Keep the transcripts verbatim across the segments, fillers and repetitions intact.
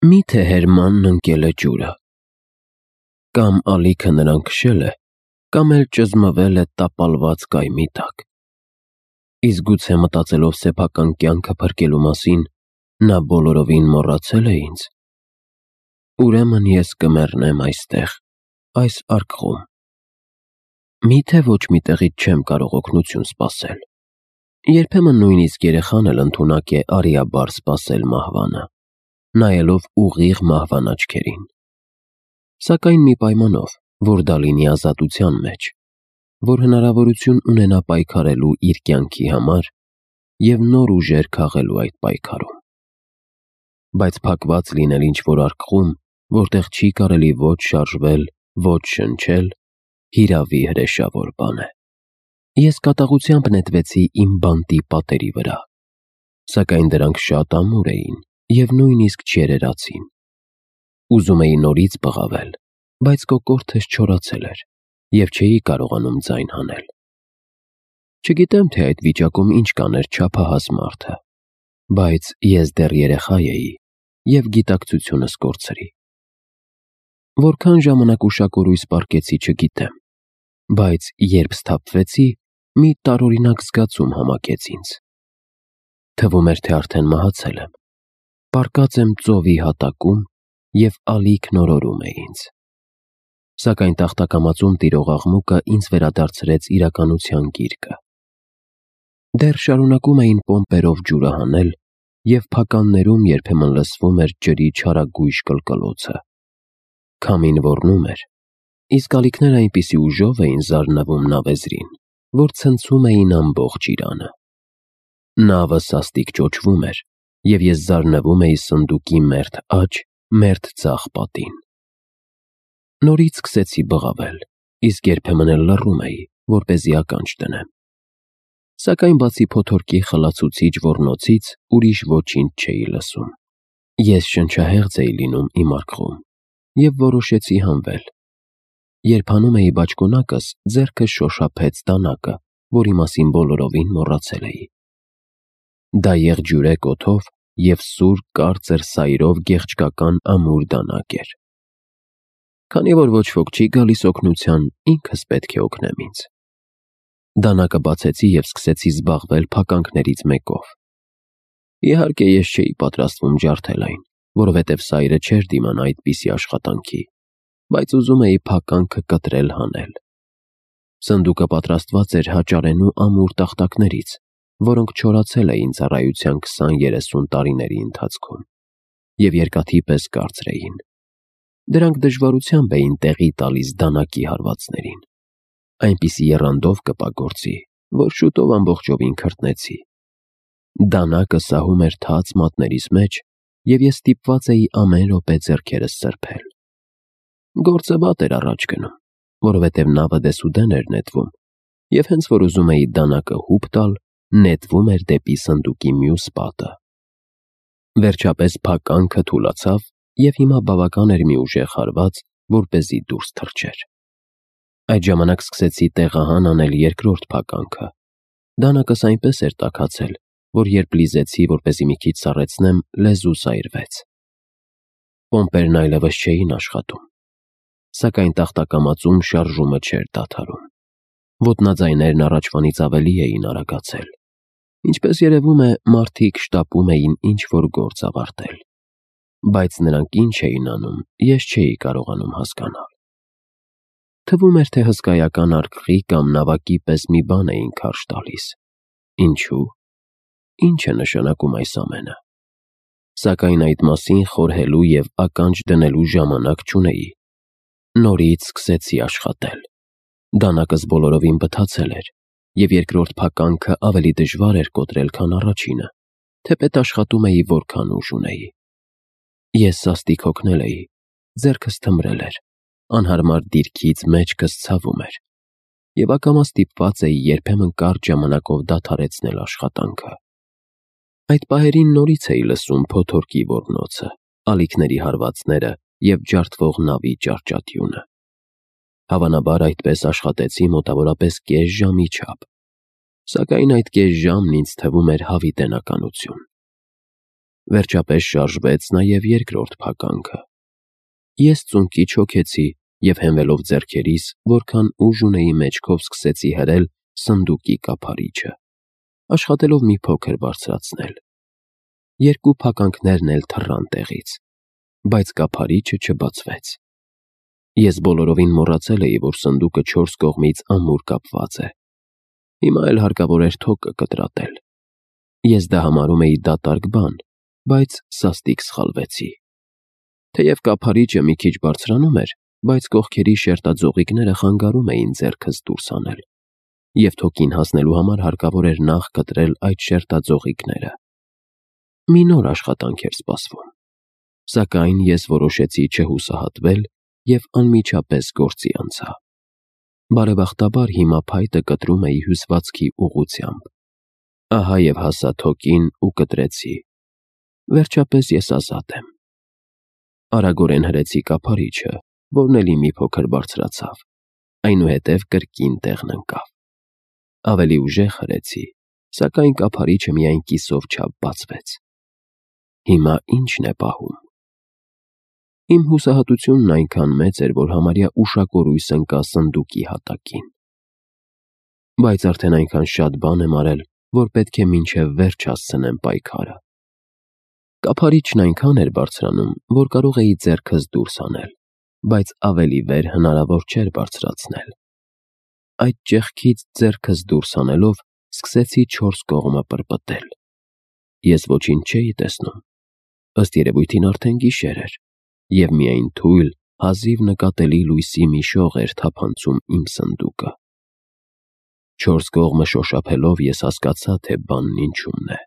Մի՞թե Հերմանն ընկել է ջուրը։ Կամ ալիքը նրան քշել է, կամ էլ ճզմվել է տապալված կայմի տակ։ Իսկ գուցե մտածելով սեփական կյանքը փրկելու մասին, նա բոլորովին մոռացել է ինձ։ Ուրեմն ես կմեռնեմ այստեղ, այս արկղում։ Մի՞թե ոչ մի տեղից չեմ կարող օգնություն սպասել։ Երբեմն նույնիսկ երեխան էլ ընդունակ է արիաբար սպասել մահվանը, նայելով ուղիղ մահվան աչքերին։ Սակայն մի պայմանով, որ դա լինի ազատության մեջ, որ հնարավորություն ունենա պայքարելու իր կյանքի համար և նոր ուժեր քաղելու այդ պայքարում։ Բայց փակված լինել ինչ-որ արկղում, որտեղ չի կարելի ոչ շարժվել, ոչ շնչել, հիրավի հրեշավոր բան է։ Ես կատաղությամբ նետվեցի իմ բանտի պատերի վրա, սակայն դրանք շատ ամուր էին և նույնիսկ չերերացին։ Ուզում էի նորից բղավել, բայց կոկորդս չորացել էր և չէի կարողանում ձայն հանել։ Չգիտեմ, թե այդ վիճակում ինչ կաներ չափահաս մարդը, բայց ես դեռ երեխա էի և գիտակցությունս կորցրի։ Որքան ժամանակ ուշակորույս պառկեցի չգիտեմ, բայց երբ սթափվեցի, մի տարօրինակ զգացում համակեց ինձ։ Թվում էր, թե արդեն մահացել եմ, պառկած եմ ծովի հատակում և ալիքն օրորում է ինձ։ Սակայն տախտակամածում տիրող աղմուկը ինձ վերադարձրեց իրականության գիրկը։ Դեռ շարունակում էին պոմպերով ջուրը հանել, և փականներում երբեմն լսվում էր ջրի չարագույժ կլկլոցը։ Քամին ոռնում էր, իսկ ալիքները այնպիսի ուժով էին զարնվում նավեզրին, որ ցնցում էին ամբողջ իրանը։ Նավը սաստիկ ճոճվում էր, և ես զարնվում էի սնդուկի մերթ աջ, մերթ ձախ պատին։ Նորից սկսեցի բղավել, իսկ երբեմն էլ լռում էի, որպեսզի ականջ դնեմ։ Սակայն բացի փոթորկի խլացուցիչ ոռնոցից ուրիշ ոչինչ չէի լսում։ Ես շնչահեղձ էի լինում իմ արկղում և որոշեցի հանվել։ Երբ հանում էի բաճկոնակս, ձեռքս շոշափեց դանակը, որի մասին բոլորովին մոռացել էի։ Դա եղջյուրեկ օդով և սուր կարծր սայրով գեղչկական ամուր դանակ էր։ Քանի որ ոչ ոք չի գալիս օգնության, ինքս պետք է օգնեմ ինձ։ Դանակը բացեցի և սկսեցի զբաղվել փականքներից մեկով։ Իհարկե, ես չէի պատրաստվում ջարդել այն, որովհետև սայրը չէր դիմանա այդպիսի աշխատանքի, բայց ուզում էի փականքը կտրել հանել։ Սնդուկը պատրաստված էր հաճարենու ամուր տախտակներից, որոնք չորացել էին ծառայության քսան-երեսուն տարիների ընթացքում և երկաթի պես կարծր էին։ Դրանք դժվարությամբ էին տեղի տալիս դանակի հարվածներին։ Այնպիսի եռանդով կպագործի, որ շուտով ամբողջովին քրտնեցի։ Դանակը սահում էր թաց մատներիս մեջ, և ես ստիպված էի ամեն րոպե ձեռքերս սրբել։ Գործը վատ էր առաջ գնում, որովհետև նավը դեսուդեն էր նետվում, և հենց որ ուզում էի դանակը հուպ տալ, նետվում էր դեպի սնդուկի մյուս պատը։ Վերջապես փականքը թուլացավ, և հիմա բավական էր մի ուժեղ հարված, որպեսզի դուրս թռչեր։ Այդ ժամանակ սկսեցի տեղահան անել երկրորդ փականքը։ Դանակս այնպես էր տաքացել, որ երբ լիզեցի, որպեսզի մի քիչ սառեցնեմ, լեզուս այրվեց։ Պոմպերն այլևս չէին աշխատում։ Սակայն տախտակամածում շարժումը չէր դադարում։ Ոտնաձայներն առաջվանից ավելի էին արագացել։ Ինչպես երևում է, մարդիկ շտապում էին ինչ-որ գործ ավարտել։ Բայց նրանք ինչ էին անում, ես չէի կարողանում հասկանալ։ Թվում էր, թե հսկայական արկղի կամ նավակի պես մի բան էին քարշ տալիս։ Ինչու՞։ Ի՞նչ է նշանակում այս ամենը։ Սակայն այդ մասին խորհելու և ականջ դնելու ժամանակ չունեի։ Նորից սկսեցի աշխատել։ Դանակս բոլորովին բթացել էր, և երկրորդ փականքը ավելի դժվար էր կոտրել, քան առաջինը, թեպետ աշխատում էի որքան ուժ ունեի։ Ես սաստիկ հոգնել էի, ձեռքս թմրել էր, անհարմար դիրքից մեջքս ցավում էր, և ակամա ստիպված էի երբեմն կարճ ժամանակով դադարեցնել աշխատանքը։ Այդ պահերին նորից էի լսում փոթորկի ոռնոցը, ալիքների հարվածները և ջարդվող նավի ճահճատյունը։ Հավանաբար այդպես աշխատեցի մոտավորապես կես ժամի չափ, սակայն այդ կես ժամն ինձ թվում էր հավիտենականություն։ Վերջապես շարժվեց նաև երկրորդ փականքը։ Ես ծունկի չոքեցի և հենվելով ձեռքերիս, որքան ուժ ունեի մեջքով սկսեցի հրել սնդուկի կափարիչը, աշխատելով մի փոքր բարձրացնել։ Երկու փականքներն էլ թռան տեղից, բայց կափարիչը չբացվեց։ Ես բոլորովին մոռացել էի, որ սնդուկը չորս կողմից ամուր կապված է։ Հիմա էլ հարկավոր էր թոկը կտրատել։ Ես դա համարում էի դատարկ բան, բայց սաստիկ սխալվեցի։ Թեև կափարիչը մի քիչ բարձրանում էր, բայց կողքերի շերտաձողիկները խանգարում էին ձեռքս դուրս հանել, և թոկին հասնելու համար հարկավոր էր նախ կտրել այդ շերտաձողիկները։ Մի նոր աշխատանք էր սպասվում, սակայն ես որոշեցի չհուսահատվել և անմիջապես գործի անցա։ Բարեբախտաբար հիմա փայտը կտրում էի հյուսվածքի ուղղությամբ։ Ահա և հասա թոկին ու կտրեցի։ Վերջապես ես ազատ եմ։ Արագորեն հրեցի կափարիչը, որն էլի մի փոքր բարձրացավ, այնուհետև կրկին տեղն ընկավ։ Ավելի ուժեղ հրեցի, սակայն կափարիչը միայն կիսով չափ բացվեց։ Հիմա ի՞նչն է պահում։ Իմ հուսահատությունն այնքան մեծ էր, որ համարյա ուշակորույս ընկա սնդուկի հատակին։ Բայց արդեն այնքան շատ բան եմ արել, որ պետք է մինչև վերջ հասցնեմ պայքարը։ Կափարիչն այնքան էր բարձրանում, որ կարող էի ձեռքս դուրս հանել, բայց ավելի վեր հնարավոր չէր բարձրացնել։ Այդ ճեղքից ձեռքս դուրս հանելով, սկսեցի չորս կողմը պրպտել։ Ես ոչինչ չէի տեսնում։ Ըստ երևույթին արդեն գիշեր էր, և միայն թույլ, հազիվ նկատելի լույսի մի շող էր թափանցում իմ սնդուկը։ Չորս կողմը շոշափելով ես հասկացա, թե բանն ինչումն է։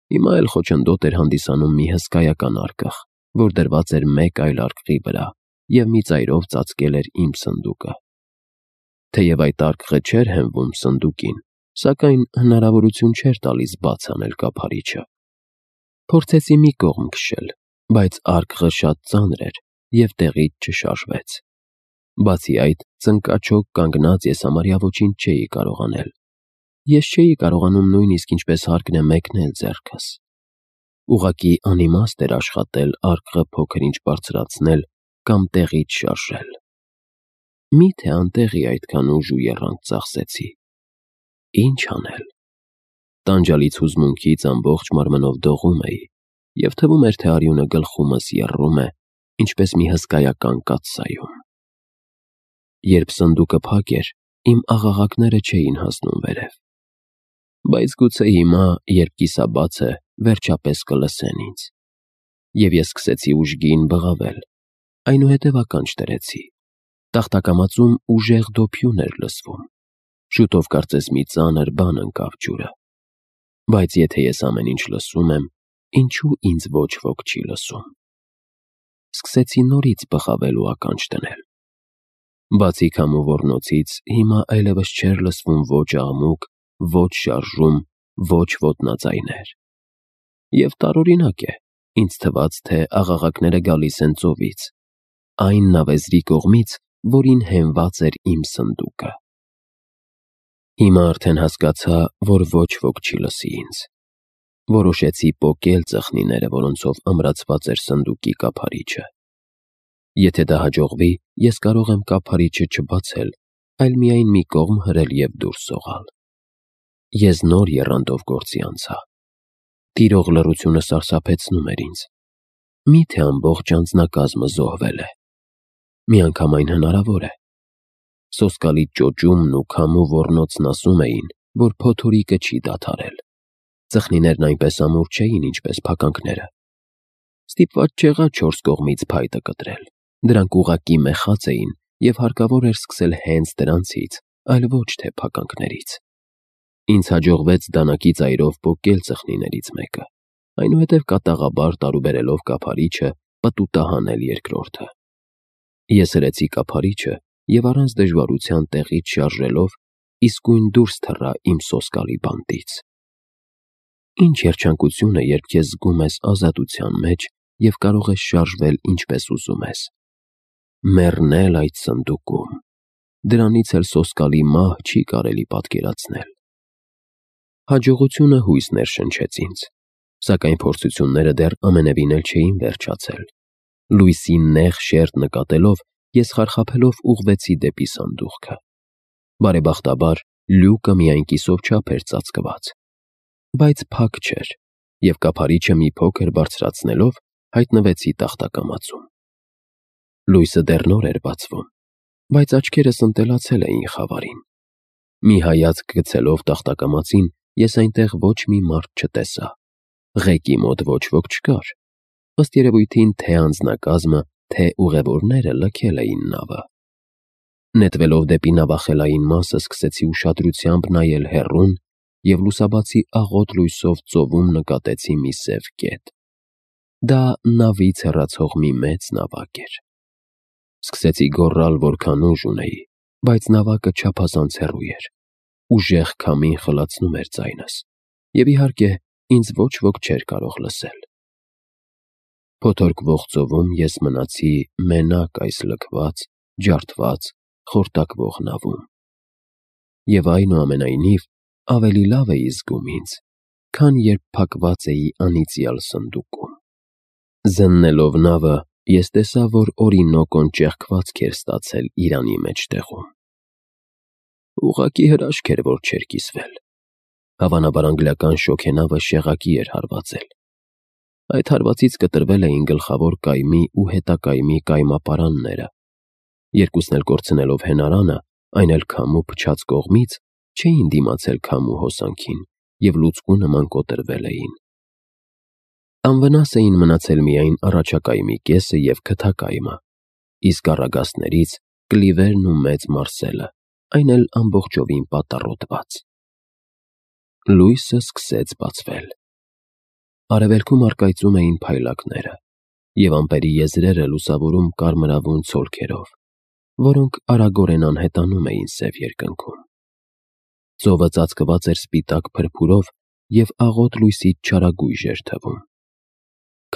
Հիմա էլ խոչընդոտ էր հանդիսանում մի հսկայական արկղ, որ դրված էր մեկ այլ արկղի վրա և մի ծայրով ծածկել էր իմ սնդուկը։ Թեև այդ արկղը չէր հենվում սնդուկին, սակայն հնարավորություն չէր տալիս բաց անել կափարիչը։ Փորձեցի մի կողմ քշել, բայց արկղը շատ ծանր էր և տեղից չշարժվեց։ Բացի այդ, ծնկաչոք կանգնած ես համարյա ոչինչ չէի կարող անել։ Ես չէի կարողանում նույնիսկ ինչպես հարկն է մեկնել ձեռքս։ Ուղղակի անիմաստ էր աշխատել արկղը փոքր-ինչ բարձրացնել կամ տեղից շարժել։ Մի՞թե անտեղի այդքան ուժ ու եռանդ ծախսեցի։ Ի՞նչ անել։ Տանջալից հուզմունքից ամբողջ մարմնով դողում էի, և թվում էր, թե արյունը գլխումս եռում է, ինչպես մի հսկայական կաթսայում։ Երբ սնդուկը փակ էր, իմ աղաղակները չէին հասնում վերև։ Բայց գուցե հիմա, երբ կիսաբաց է, վերջապես կլսեն ինձ։ Եվ ես սկսեցի ուժգին բղավել, այնուհետև ականջ դրեցի։ Տախտակամածում ուժեղ դոփյուն էր լսվում։ Շուտով կարծես մի ծանր բան ընկավ ջուրը։ Բայց եթե ես ամեն ինչ լսում եմ, ինչու ինձ ոչ ոք չի լսում։ Սկսեցի նորից բղավել ու ականջ դնել։ Բացի քամու ոռնոցից հիմա այլևս չէր լսվում ոչ աղմուկ, ոչ շարժում, ոչ ոտնաձայներ։ Եվ տարօրինակ է, ինձ թվաց, թե աղաղակները գալիս են ծովից, այն նավեզրի կողմից, որին հենված էր իմ սնդուկը։ Հիմա արդեն հասկացա, որ ոչ ոք չի լսի ինձ։ Որոշեցի պոկել ծխնիները, որոնցով ամրացված էր սնդուկի կափարիչը։ Եթե դա հաջողվի, ես կարող եմ կափարիչը չբացել, այլ միայն մի կողմ հրել և դուրս սողալ։ Ես նոր եռանդով գործի անցա։ Տիրող լռությունը սարսափեցնում էր ինձ։ Մի՞թե ամբողջ անձնակազմը զոհվել է։ Միանգամայն հնարավոր է։ Սոսկալի ճոճումն ու քամու ոռնոցն ասում էին, որ փոթորիկը չի դադարել։ Ծխնիներն այնպես ամուր չէին, ինչպես փականքները։ Ստիպված չեղա չորս կողմից փայտը կտրել։ Դրանք ուղղակի մեխած էին, և հարկավոր էր սկսել հենց դրանցից, այլ ոչ թե փականքներից։ Ինձ հաջողվեց դանակի ծայրով պոկել ծխնիներից մեկը, այնուհետև կատաղաբար տարուբերելով կափարիչը, պտուտահանել երկրորդը։ Ես հրեցի կափարիչը և առանց դժվարության տեղից շարժելով իսկույն դուրս թռա իմ սոսկալի բանտից։ Ինչ երջանկություն է, երբ քեզ զգում ես ազատության մեջ և կարող ես շարժվել ինչպես ուզում ես։ Մեռնել այդ սնդուկում։ Դրանից էլ սոսկալի մահ չի կարելի պատկերացնել։ Հաջողությունը հույս ներշնչեց ինձ։ Սակայն փորձությունները դեռ ամենևին էլ չէին վերջացել։ Լույսի նեղ շերտ նկատելով, ես խարխափելով ուղղվեցի դեպի սանդուղքը։ Բարեբախտաբար, լյուկը միայն կիսով չափ էր ծածկված, բայց փակ չէր, և կափարիչը մի փոքր բարձրացնելով, հայտնվեցի տախտակամածում։ Լույսը դեռ նոր էր բացվում, բայց աչքերս ընտելացել էին խավարին։ Մի հայացք գցելով տախտակամածին, ես այնտեղ ոչ մի մարդ չտեսա։ Ղեկի մոտ ոչ ոք չկար։ Ըստ երևույթին թե անձնակազմը, թե ուղևորները լքել էին նավը։ Նետվելով դեպի նավախելային մասը, սկսեցի ուշադրությամբ նայել հեռուն և լուսաբացի աղոտ լույսով ծովում նկատեցի մի սև կետ։ Դա նավից հեռացող մի մեծ նավակ էր։ Սկսեցի գոռալ, որքան ուժ ունեի, բայց նավակը չափազանց հեռու էր։ Ուժեղ քամին խլացնում էր ձայնս, և իհարկե, ինձ ոչ ոք չէր կարող լսել։ Փոթորկվող ծովում ես մնացի մենակ այս լքված, ջարդված, խորտակվող նավում։ Եվ այնուամենայնիվ, ավելի լավ էի զգում ինձ, քան երբ փակված էի անիծյալ սնդուկում։ Զննելով նավը, ես տեսա, որ Օրինոկոն ճեղքվածք էր ստացել իրանի մեջտեղում։ Ուղղակի հրաշք էր, որ չէր կիսվել։ Հավանաբար անգլիական շոգենավը շեղակի էր հարվածել։ Այդ հարվածից կտրվել էին գլխավոր կայմի ու հետակայմի կայմապարանները։ Երկուսն էլ կորցնելով հենարանը, այն էլ քամու փչած կողմից, չէին դիմացել քամու հոսանքին և լուծկու նման կոտրվել էին։ Անվնաս էին մնացել միայն առաջակայմի կեսը և քթակայմը, իսկ առագաստներից կլիվերն ու մեծ մարսելը, այն էլ ամբողջովին պատառոտված։ Լույսը սկսեց բացվել։ Արևելքում առկայծում էին փայլակները, և ամպերի եզրերը լուսավորում կարմրավուն ցոլքերով, որոնք արագորեն անհետանում էին սև երկնքում։ Ծովը ծածկված էր սպիտակ փրփուրով և աղոտ լույսից չարագույժ էր թվում։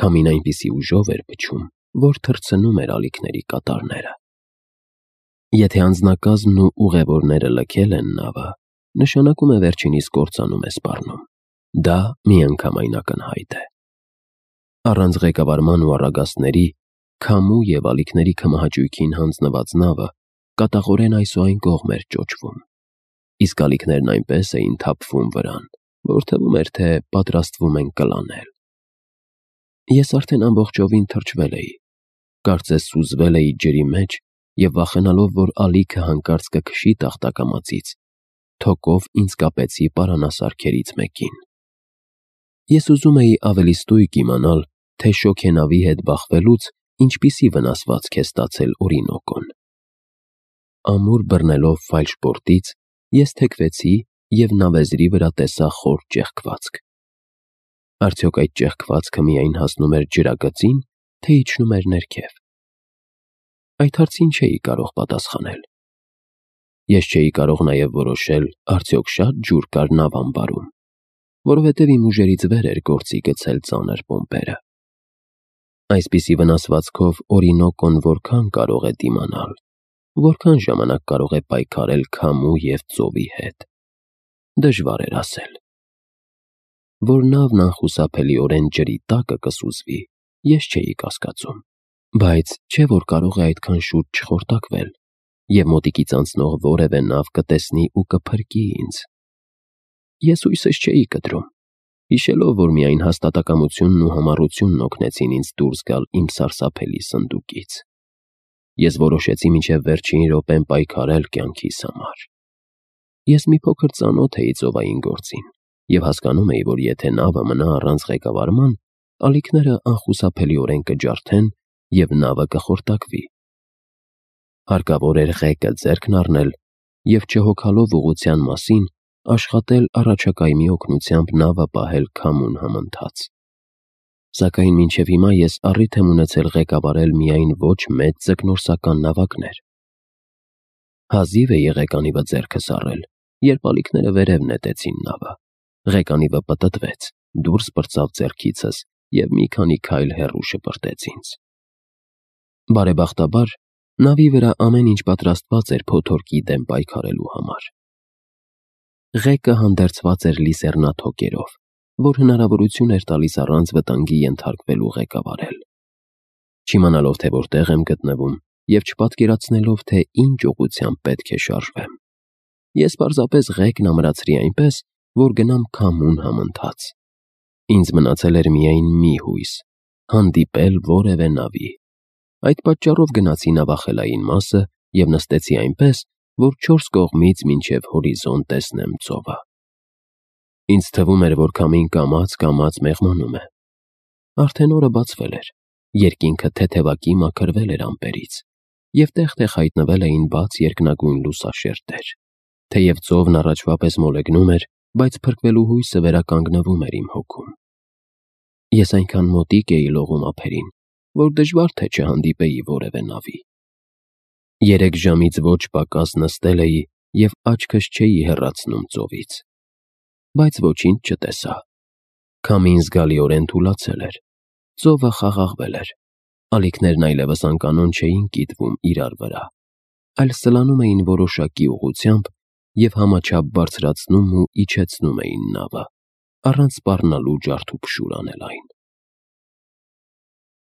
Քամին այնպիսի ուժով էր փչում, որ թռցնում էր ալիքների կատարները։ Եթե անձնակազմն ու ուղևորները լքել են նավը, նշանակում է վերջինիս կործանում է սպառնում։ Դա միանգամայն ակնհայտ է։ Առանց ղեկավարման ու առագաստների, քամու և ալիքների քմահաճույքին հանձնված նավը կատաղորեն այս ու այն կողմ էր ճոճվում, իսկ ալիքներն այնպես էին թափվում վրան, որ թվում էր, թե պատրաստվում են կլանել։ Ես արդեն ամբողջովին թրջվել էի, կարծես սուզվել էի ջրի մեջ և վախենալով, որ ալիքը հանկարծ կքշի տախտակամածից, թոկով ինձ կապեցի պարանասարքերից մեկին։ Ես ուզում էի ավելի ստույգ իմանալ, թե շոգենավի հետ բախվելուց ինչպիսի վնասվածք է ստացել Օրինոկոն։ Ամուր բռնելով ֆալշբորտից, ես թեքվեցի և նավեզրի վրա տեսա խոր ճեղքվածք։ Արդյոք այդ ճեղքվածքը միայն հասնում էր ջրագծին, թե իջնում էր ներքև։ Այդ հարցին չէի կարող պատասխանել։ Ես չէի կարող նաև որոշել, արդյոք շատ ջուր կար նավ ամբարում, որովհետև իմ ուժերից վեր էր գործի գցել ծանր պոմպերը։ Այսպիսի վնասվածքով Օրինոկոն որքան կարող է դիմանալ, որքան ժամանակ կարող է պայքարել քամու և ծովի հետ։ Դժվար էր ասել։ Որ նավն անխուսափելիորեն ջրի տակը կսուզվի, ես չէի կասկածում, բայց չէ՞ որ կարող է այդքան շուտ չխորտակվել, և մոտիկից անցնող որևէ նավ կտեսնի ու կփրկի ինձ։ Ես հույսս չէի կտրում, հիշելով, որ միայն հաստատակամությունն ու համառությունն օգնեցին ինձ դուրս գալ իմ սարսափելի սնդուկից։ Ես որոշեցի մինչև վերջին րոպեն պայքարել կյանքիս համար։ Ես մի փոքր ծանոթ էի ծովային գործին և հասկանում էի, որ եթե նավը մնա առանց ղեկավարման, ալիքները անխուսափելիորեն կջարդեն և նավը կխորտակվի։ Հարկավոր էր ղեկը ձեռքն առնել և, չհոգալով ուղղության մասին, աշխատել առաջակայմի օգնությամբ նավը պահել քամուն համընթաց։ Սակայն մինչև հիմա ես առիթ եմ ունեցել ղեկավարել միայն ոչ մեծ ձկնորսական նավակներ։ Հազիվ էի ղեկանիվը ձեռքս առել, երբ ալիքները վերև նետեցին նավը։ Ղեկանիվը պտտվեց, դուրս պրծավ ձեռքիցս և մի քանի քայլ հեռու շպրտեց ինձ։ Բարեբախտաբար, նավի վրա ամեն ինչ պատրաստված էր փոթորկի դեմ պայքարելու համար։ Ղեկը հանդերձված էր լիսեռնաթոկերով, որ հնարավորություն էր տալիս առանց վտանգի ենթարկվելու ղեկավարել։ Չիմանալով, թե որտեղ եմ գտնվում և չպատկերացնելով, թե ինչ ուղղությամբ պետք է շարժվեմ, ես պարզապես ղեկն ամրացրի այնպես, որ գնամ քամուն համընթաց։ Ինձ մնացել էր միայն մի հույս՝ հանդիպել որևէ նավի։ Այդ պատճառով գնացի նավախելային մասը և նստեցի այնպես, որ չորս կողմից մինչև հորիզոն տեսնեմ ծովը։ Ինձ թվում էր, որ քամին կամաց-կամաց մեղմանում է։ Արդեն օրը բացվել էր, երկինքը թեթևակի մաքրվել էր ամպերից, և տեղ-տեղ հայտնվել էին բաց երկնագույն լուսաշերտեր։ Թեև ծովն առաջվա պես մոլեգնում էր, բայց փրկվելու հույսը վերականգնվում էր իմ հոգում։ Ես այնքան մոտիկ էի լողում ափերին, որ դժվար թե չհանդիպեի որևէ նավի։ Երեք ժամից ոչ պակաս նստել էի և աչքս չէի հեռացնում ծովից, բայց ոչինչ չտեսա։ Քամին զգալիորեն թուլացել էր, ծովը խաղաղվել էր, ալիքներն այլևս անկանոն չէին կիտվում իրար վրա, այլ սլանում էին որոշակի ուղղությամբ և համաչափ բարձրացնում ու իջեցնում էին նավը, առանց սպառնալու ջարդուփշուր անել այն։